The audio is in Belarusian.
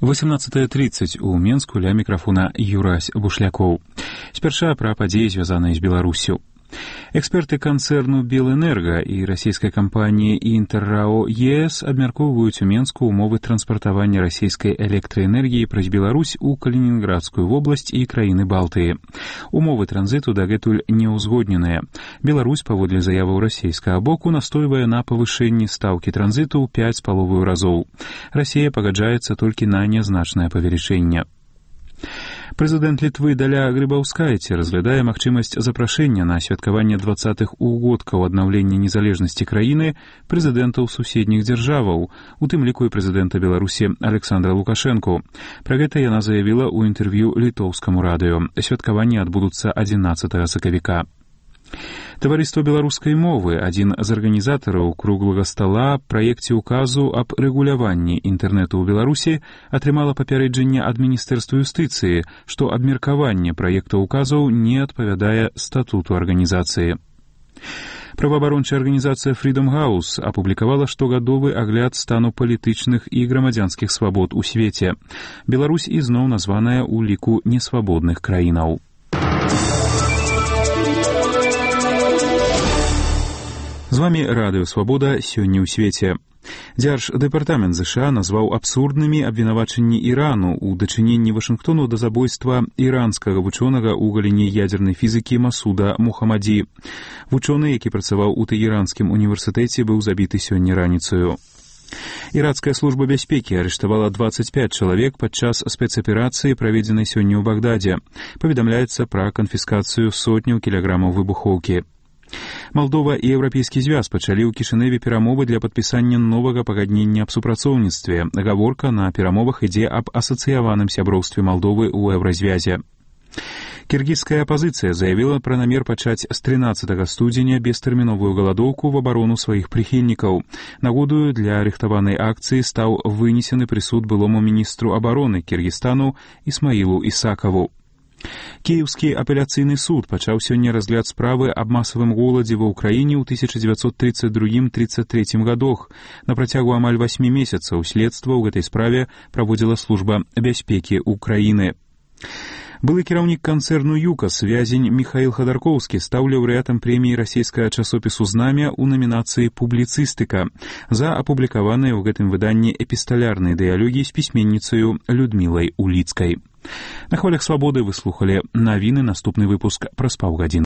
18:30 у Менску ля мікрафона Юрась Бушлякоў. Спярша пра падзеі, звязаныя з Беларуссю. Эксперты канцэрну «Белэнерга» і расійскай кампаніі «Інтэррао ЕС» абмяркоўваюць у Менску умовы транспартавання расійскай электраэнергіі праз Беларусь у Калінінградскую вобласць і краіны Балтыі. Умовы транзіту дагэтуль не ўзгодненыя. Беларусь, паводле заяваў расійскага боку, настойвае на павышэнні стаўкі транзіту ў 5,5 разоў. Расія пагаджаецца толькі на нязначнае павелічэнне. Прэзідэнт Літвы Даля Грыбаўскайце разглядае магчымасць запрашэння на святкаванне 20-х угодкаў аднаўлення незалежнасці краіны прэзідэнтаў суседніх дзяржаваў, у тым ліку і прэзідэнта Беларусі Александра Лукашэнку. Пра гэта яна заявіла ў інтэрв'ю літоўскаму радыё. Святкаванні адбудуцца 11 сакавіка. Таварыства беларускай мовы, адзін з арганізатараў круглага стала праекце указу аб рэгуляванні інтэрнэту ў Беларусі, атрымала папярэджанне ад Міністэрства юстыцыі, што абмеркаванне праекта указаў не адпавядае статуту арганізацыі. Праваабарончая арганізацыя Freedom House апублікавала штогадовы агляд стану палітычных і грамадзянскіх свабод у свеце. Беларусь ізноў названая ў ліку несвабодных краінаў. З вамі Радыё Свабода сёння ў свеце. Дзярждэпартамент США назваў абсурднымі абвінавачанні Ірану ў дачыненні Вашынгтону да забойства іранскага вучонага ў галіне ядзернай фізікі Масуда Мухаммаді. Вучоны, які працаваў у Тэгеранскім універсітэце, быў забіты сёння раніцаю. Іракская служба бяспекі арыштавала 25 чалавек падчас спецаперацыі, праведзенай сёння ў Багдадзе. Паведамляецца пра канфіскацыю сотняў кілаграмаў выбухоўкі. Малдова і Еўрапейскі звяз пачалі ў Кішыневе перамовы для падпісання новага пагаднення аб супрацоўніцтве. Гаворка на перамовах ідзе аб асацыяваным сяброўстве Малдовы ў Еўразвязе. Кіргізская апазіцыя заявіла пра намер пачаць з 13 студзеня бестэрміновую галадоўку в абарону сваіх прыхільнікаў. Нагодаю для рыхтаванай акцыі стаў вынесены прысуд былому міністру абароны Кіргізстану Ісмаілу Ісакаву. Кіеўскі апеляцыйны суд пачаў сёння разгляд справы аб масавым голадзе ва ўкраіне ў 1932-33 гадах. На працягу амаль 8 месяцаў следства ў гэтай справе праводзіла служба бяспекі ўкраіны. Былы кіраўнік канцэрну «ЮКАС» вязень Міхаіл Хадаркоўскі стаў лаўрэатам прэміі расійскага часопісу «Знамя» ў намінацыі «Публіцыстыка» за апублікаваныя ў гэтым выданні эпісталярныя дыялогі з пісьменніцаю Людмілай Уліцкай. На хвалях свабоды вы слухалі навіны, наступны выпуск праз паўгадзіны.